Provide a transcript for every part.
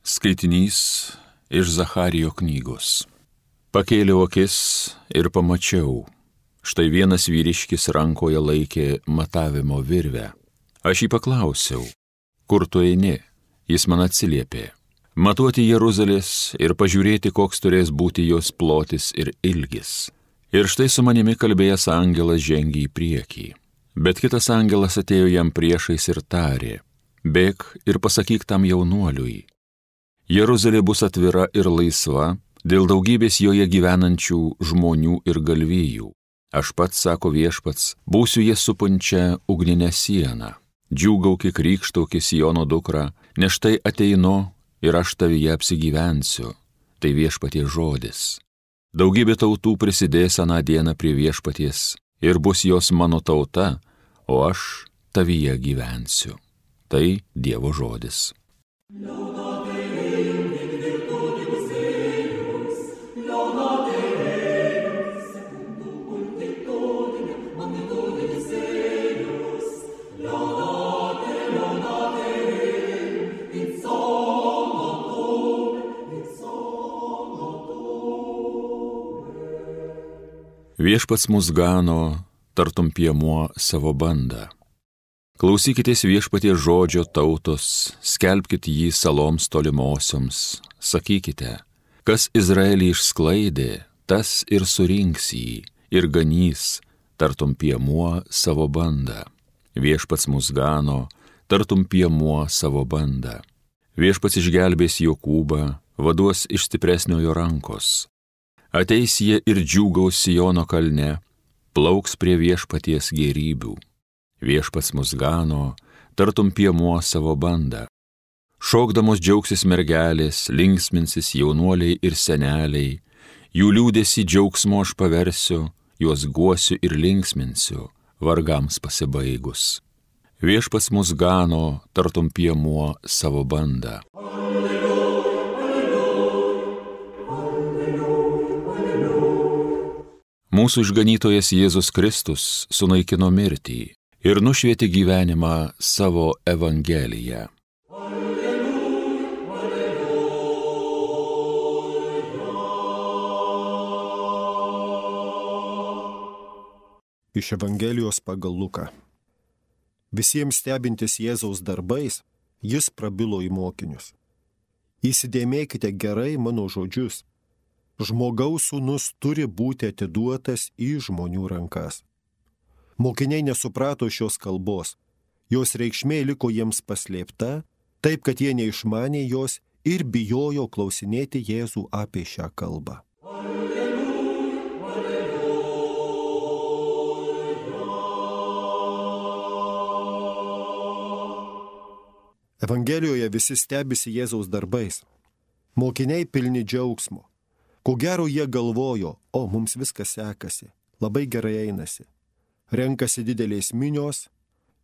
Skaitinys iš Zacharijo knygos. Pakėliau akis ir pamačiau. Štai vienas vyriškis rankoje laikė matavimo virvę. Aš jį paklausiau, kur tu eini? Jis man atsiliepė, matuoti Jeruzalės ir pažiūrėti, koks turės būti jos plotis ir ilgis. Ir štai su manimi kalbėjęs angelas žengė į priekį. Bet kitas angelas atėjo jam priešais ir tarė, bėk ir pasakyk tam jaunuoliui. Jeruzalė bus atvira ir laisva dėl daugybės joje gyvenančių žmonių ir galvijų. Aš pats, sako viešpats, būsiu jas supančią ugninę sieną. Džiūgauki, krykštauki Siono dukra, nes štai ateinu ir aš tavyje apsigyvensiu. Tai viešpaties žodis. Daugybė tautų prisidės aną dieną prie viešpaties ir bus jos mano tauta, o aš tavyje gyvensiu. Tai Dievo žodis. Viešpats mus gano, tartum piemuo savo bandą. Klausykitės viešpaties žodžio tautos, skelbkit jį saloms tolimosioms, sakykite, kas Izraelį išsklaidė, tas ir surinks jį, ir ganys, tartum piemuo savo bandą. Viešpats mus gano, tartum piemuo savo bandą. Viešpats išgelbės Jokūbą, vaduos iš stipresniojo rankos. Ateis jie ir džiūgaus Siono kalne, plauks prie viešpaties gėrybių. Viešpats mus gano, tartum piemuo savo bandą. Šokdamos džiaugsis mergelės, linksminsis jaunuoliai ir seneliai, jų liūdesį džiaugsmo aš paversiu, juos guosiu ir linksminsiu, vargams pasibaigus. Viešpats mus gano, tartum piemuo savo bandą. Mūsų išganytojas Jėzus Kristus sunaikino mirtį ir nušvietė gyvenimą savo Evangeliją. Iš Evangelijos pagal Luką. Visiems stebintis Jėzaus darbais, jis prabilo į mokinius. Įsidėmėkite gerai mano žodžius. Žmogaus sūnus turi būti atiduotas į žmonių rankas. Mokiniai nesuprato šios kalbos. Jos reikšmė liko jiems paslėpta, taip kad jie neišmanė jos ir bijojo klausinėti Jėzų apie šią kalbą. Evangelijoje visi stebisi Jėzaus darbais. Mokiniai pilni džiaugsmo. Ko gero jie galvojo, mums viskas sekasi, labai gerai einasi. Renkasi didelės minios,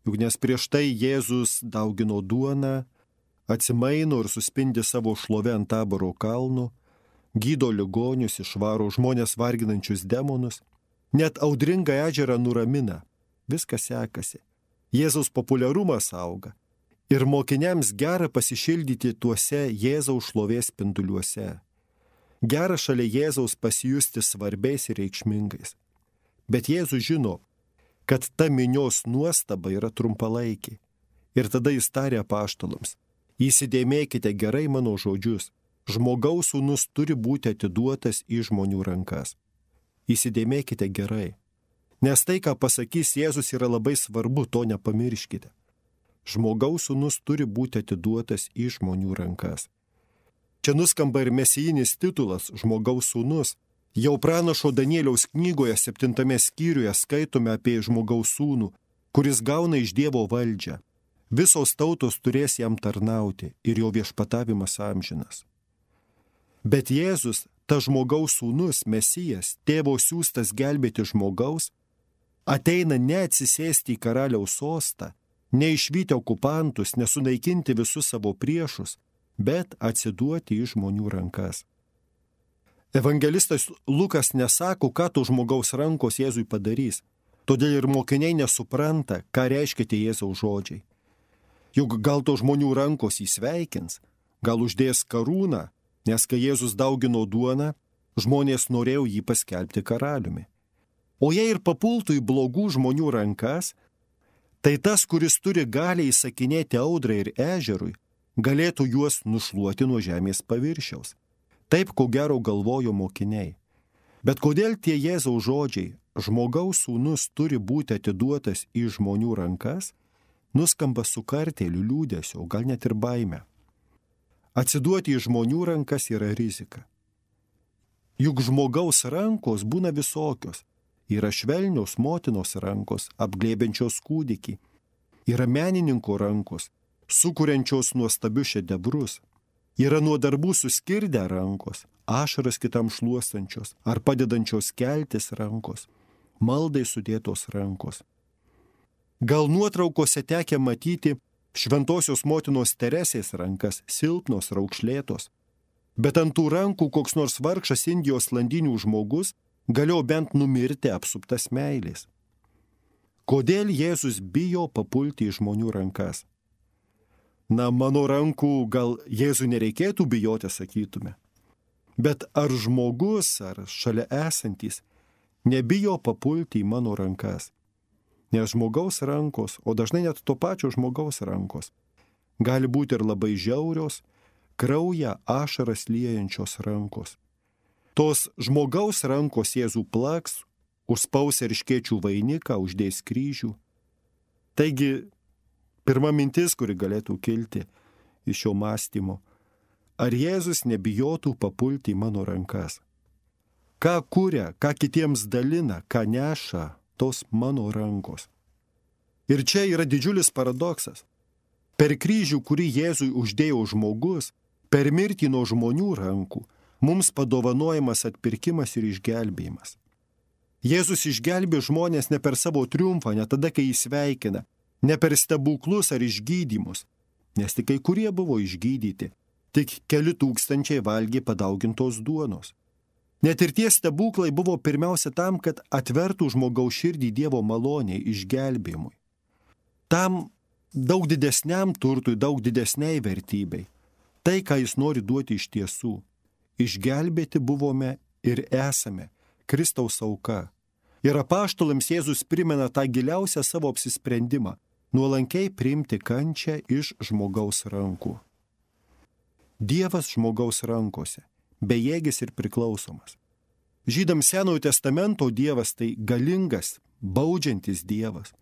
juk nes prieš tai Jėzus daugino duoną, atsimaino ir suspindi savo šlovę ant Taboro kalnų, gydo ligonius, išvaro žmonės varginančius demonus, net audringą ežerą nuramina. Viskas sekasi. Jėzaus populiarumas auga ir mokiniams gera pasišildyti tuose Jėzaus šlovės spinduliuose. Gera šalia Jėzaus pasijusti svarbiais ir reikšmingais. Bet Jėzus žino, kad ta minios nuostaba yra trumpalaikė. Ir tada jis tarė apaštalams, įsidėmėkite gerai mano žodžius, žmogaus sūnus turi būti atiduotas į žmonių rankas. Įsidėmėkite gerai. Nes tai, ką pasakys Jėzus, yra labai svarbu, to nepamirškite. Žmogaus sūnus turi būti atiduotas į žmonių rankas. Čia nuskamba ir mesijinis titulas žmogaus sūnus. Jau pranašo Danieliaus knygoje 7 skyriuje skaitome apie žmogaus sūnų, kuris gauna iš Dievo valdžią. Visos tautos turės jam tarnauti ir jo viešpatavimas amžinas. Bet Jėzus, ta žmogaus sūnus, Mesijas, tėvo siųstas gelbėti žmogaus, ateina ne atsisėsti į karaliaus sostą, ne išvyti okupantus, nesunaikinti visus savo priešus, bet atsiduoti į žmonių rankas. Evangelistas Lukas nesako, ką to žmogaus rankos Jėzui padarys, todėl ir mokiniai nesupranta, ką reiškia tie Jėzaus žodžiai. Juk gal to žmonių rankos įsveikins, gal uždės karūną, nes kai Jėzus daugino duoną, žmonės norėjo jį paskelbti karaliumi. O jei ir papultų į blogų žmonių rankas, tai tas, kuris turi galią įsakinėti audrai ir ežerui, galėtų juos nušluoti nuo žemės paviršiaus. Taip, ko gero, galvojo mokiniai. Bet kodėl tie Jėzaus žodžiai, žmogaus sūnus turi būti atiduotas į žmonių rankas, nuskamba su kartėliu, liūdėsiu, o gal net ir baime. Atsiduoti į žmonių rankas yra rizika. Juk žmogaus rankos būna visokios. Yra švelnios motinos rankos, apglėbiančios kūdikį. Yra menininko rankos, sukuriančios nuostabius šedevrus. Yra nuo darbų suskirdę rankos, ašaras kitam šluostančios ar padedančios keltis rankos, maldai sudėtos rankos. Gal nuotraukose tekę matyti šventosios motinos Teresės rankas, silpnos, raukšlėtos. Bet ant tų rankų koks nors vargšas Indijos landinių žmogus galėjo bent numirti apsuptas meilės. Kodėl Jėzus bijo papulti į žmonių rankas? Na, mano rankų gal Jėzui nereikėtų bijoti, sakytume. Bet ar žmogus, ar šalia esantis, nebijo papulti į mano rankas? Nes žmogaus rankos, o dažnai net to pačio žmogaus rankos, gali būti ir labai žiaurios, kraują ašaras liejančios rankos. Tos žmogaus rankos Jėzų plaks, užspaus erškėčių vainiką, uždės kryžių. Taigi, pirma mintis, kuri galėtų kilti iš šio mąstymo, ar Jėzus nebijotų papulti į mano rankas? Ką kuria, ką kitiems dalina, ką neša tos mano rankos? Ir čia yra didžiulis paradoksas. Per kryžių, kurį Jėzui uždėjo žmogus, per mirtį nuo žmonių rankų, mums padovanojamas atpirkimas ir išgelbėjimas. Jėzus išgelbė žmonės ne per savo triumfą, ne tada, kai jį sveikina, ne per stebuklus ar išgydymus, nes tik kai kurie buvo išgydyti, tik keli tūkstančiai valgė padaugintos duonos. Net ir tie stebuklai buvo pirmiausia tam, kad atvertų žmogaus širdį Dievo maloniai, išgelbėjimui. Tam daug didesniam turtui, daug didesniai vertybei. Tai, ką jis nori duoti iš tiesų. Išgelbėti buvome ir esame Kristaus auka. Ir apaštalams Jėzus primena tą giliausią savo apsisprendimą – nuolankiai priimti kančią iš žmogaus rankų. Dievas žmogaus rankose, bejėgis ir priklausomas. Žydams Senojo testamento Dievas tai galingas, baudžiantis Dievas.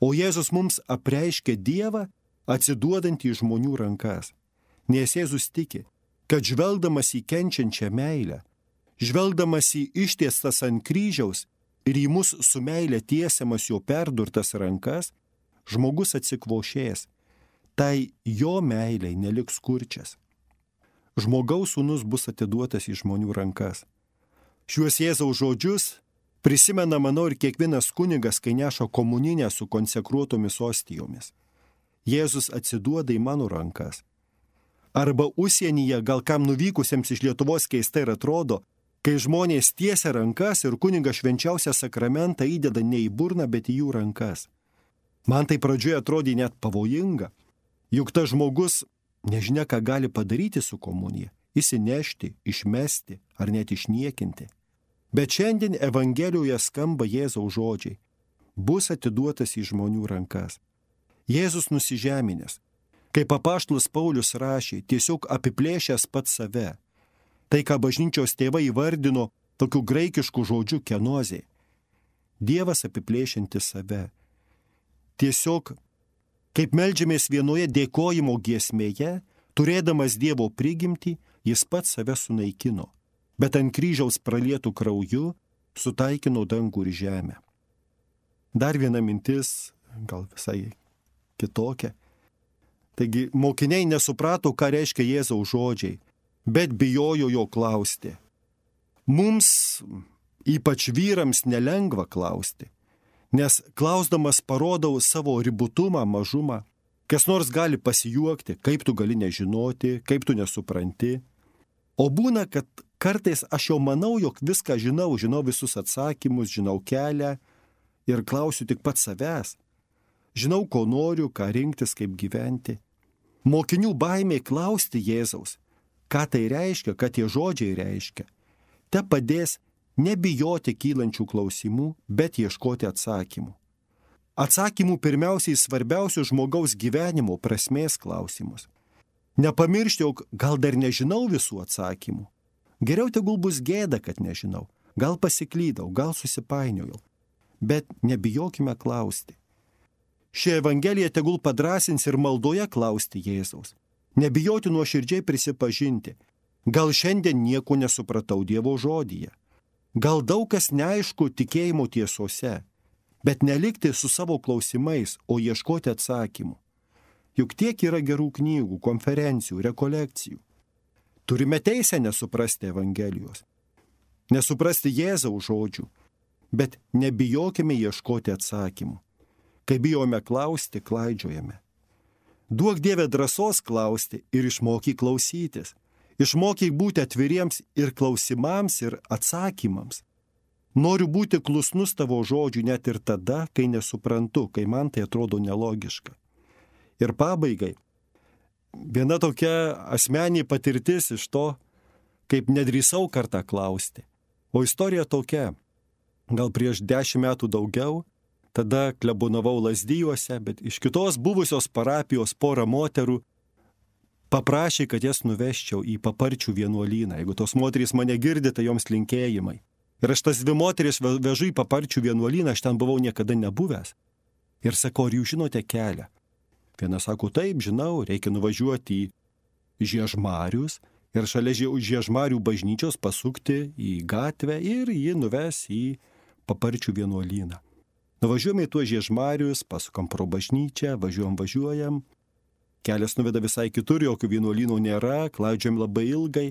O Jėzus mums apreiškia Dievą atsiduodantį į žmonių rankas. Nes Jėzus tiki, kad žvelgdamas į kenčiančią meilę, žvelgdamas į ištiestas ant kryžiaus ir į mus su meilė tiesiamas jo perdurtas rankas, žmogus atsikvošės, tai jo meiliai neliks kurčias. Žmogaus sūnus bus atiduotas į žmonių rankas. Šiuos Jėzaus žodžius prisimena, manau, ir kiekvienas kunigas, kai neša komuninę su konsekruotomis ostijomis. Jėzus atsiduoda į mano rankas. Arba užsienyje, gal kam nuvykusiems iš Lietuvos keistai ir atrodo, kai žmonės tiesia rankas ir kunigas švenčiausią sakramentą įdeda ne į burną, bet į jų rankas. Man tai pradžioje atrodė net pavojinga, juk tas žmogus nežinia, ką gali padaryti su komunija, įsinešti, išmesti ar net išniekinti. Bet šiandien Evangelijoje skamba Jėzaus žodžiai, bus atiduotas į žmonių rankas. Jėzus nusižeminęs, kaip apaštalas Paulius rašė, tiesiog apiplėšęs pats save. Tai, ką bažnyčios tėvai įvardino tokiu graikišku žodžiu kenozė. Dievas apiplėšiantis save. Tiesiog, kaip meldžiamės vienoje dėkojimo giesmėje, turėdamas Dievo prigimtį, jis pats save sunaikino, bet ant kryžiaus pralietų krauju sutaikino dangų ir žemę. Dar viena mintis, gal visai kitokia. Taigi mokiniai nesuprato, ką reiškia Jėzaus žodžiai, bet bijojo jo klausti. Mums, ypač vyrams, nelengva klausti, nes klausdamas parodau savo ribotumą, mažumą. Kas nors gali pasijuokti, kaip tu gali nežinoti, kaip tu nesupranti. O būna, kad kartais aš jau manau, jog viską žinau visus atsakymus, žinau kelią ir klausiu tik pats savęs. Žinau, ko noriu, ką rinktis, kaip gyventi. Mokinių baimė klausti Jėzaus, ką tai reiškia, ką tie žodžiai reiškia, te padės nebijoti kylančių klausimų, bet ieškoti atsakymų. Atsakymų pirmiausiai svarbiausių žmogaus gyvenimo prasmės klausimus. Nepamiršti, jog gal dar nežinau visų atsakymų. Geriau tegul bus gėda, kad nežinau. Gal pasiklydau, gal susipainiojau. Bet nebijokime klausti. Ši Evangelija tegul padrąsins ir maldoje klausti Jėzaus. Nebijoti nuoširdžiai prisipažinti. Gal šiandien nieko nesupratau Dievo žodyje. Gal daug kas neaišku tikėjimo tiesose. Bet nelikti su savo klausimais, o ieškoti atsakymų. Juk tiek yra gerų knygų, konferencijų, rekolekcijų. Turime teisę nesuprasti Evangelijos, nesuprasti Jėzaus žodžių, bet nebijokime ieškoti atsakymų. Kai bijome klausti, klaidžiojame. Duok Dieve drąsos klausti ir išmokyk klausytis. Išmokyk būti atviriems ir klausimams, ir atsakymams. Noriu būti klusnus tavo žodžių net ir tada, kai nesuprantu, kai man tai atrodo nelogiška. Ir pabaigai, viena tokia asmeninė patirtis iš to, kaip nedrįsau kartą klausti. O istorija tokia, gal prieš 10 metų daugiau, tada klebonavau Lazdijuose, bet iš kitos buvusios parapijos porą moterų paprašė, kad jas nuveščiau į Paparčių vienuolyną. Jeigu tos moterys mane girdi, tai joms linkėjimai. Ir aš tas 2 moteris vežu į Paparčių vienuolyną, aš ten buvau niekada nebuvęs. Ir sakau, ar jūs žinote kelią? Viena sako, taip, žinau, reikia nuvažiuoti į Žiežmarius ir šalia Žiežmarių bažnyčios pasukti į gatvę ir ji nuves į Paparčių vienuolyną. Nuvažiuojame į tuos Žiežmarius, pasukam pro bažnyčią, važiuojam. Kelias nuveda visai kitur, jokių vienuolynų nėra, klaidžiam labai ilgai.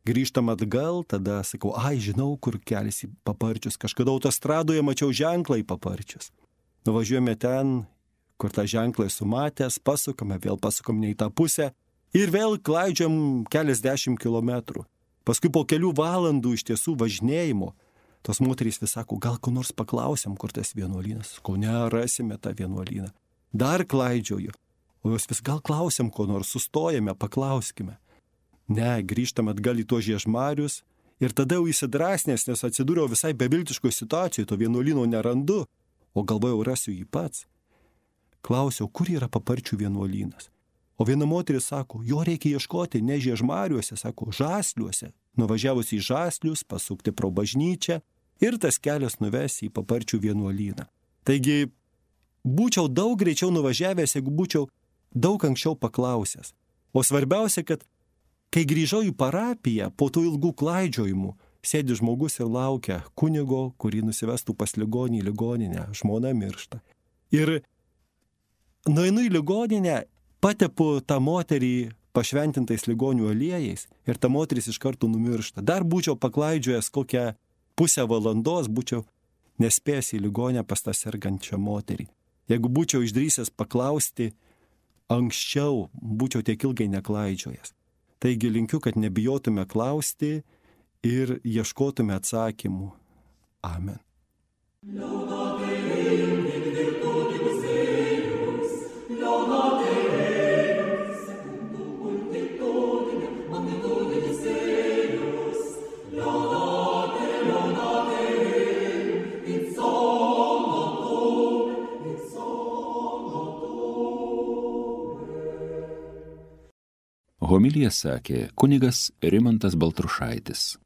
Grįžtam atgal, tada sakau, žinau, kur kelias į Paparčius. Kažkada autostradoje mačiau ženklą į Paparčius. Nuvažiuojame ten, kur tą ženklą sumatęs, pasukame, vėl pasukam ne į tą pusę ir vėl klaidžiam keliasdešimt kilometrų. Paskui po kelių valandų iš tiesų važinėjimo, tos moterys vis sako, gal ko nors paklausiam, kur tas vienuolynas. Sakau, ne, rasime tą vienuolyną. Dar klaidžioju. O jos vis gal klausiam, ko nors sustojame, paklauskime. Ne, grįžtam atgal į tuos Žiežmarius ir tada jau įsidrasnės, nes atsidūriau visai beviltiškoje situacijoje, to vienuolyno nerandu, o galvojau, rasiu jį pats. Klausiau, kur yra Paparčių vienuolynas. O viena moteris sako, jo reikia ieškoti ne Žiežmariuose, sako, Žasliuose. Nuvažiavus į Žaslius, pasukti pro bažnyčią ir tas kelias nuves į Paparčių vienuolyną. Taigi, būčiau daug greičiau nuvažiavęs, jeigu būčiau daug anksčiau paklausęs. O svarbiausia, kad kai grįžau į parapiją, po tų ilgų klaidžiojimų, sėdi žmogus ir laukia kunigo, kurį nusivestų pas ligonį į ligoninę, žmona miršta. Ir nueinu į ligoninę, patepu tą moterį pašventintais ligonių aliejais ir ta moteris iš karto numiršta. Dar būčiau paklaidžiojęs kokią pusę valandos, būčiau nespėjęs į ligonę pas tą sergančią moterį. Jeigu būčiau išdrįsęs paklausti anksčiau, būčiau tiek ilgai neklaidžiojęs. Taigi linkiu, kad nebijotume klausti ir ieškotume atsakymų. Amen. Homiliją sakė kunigas Rimantas Baltrušaitis.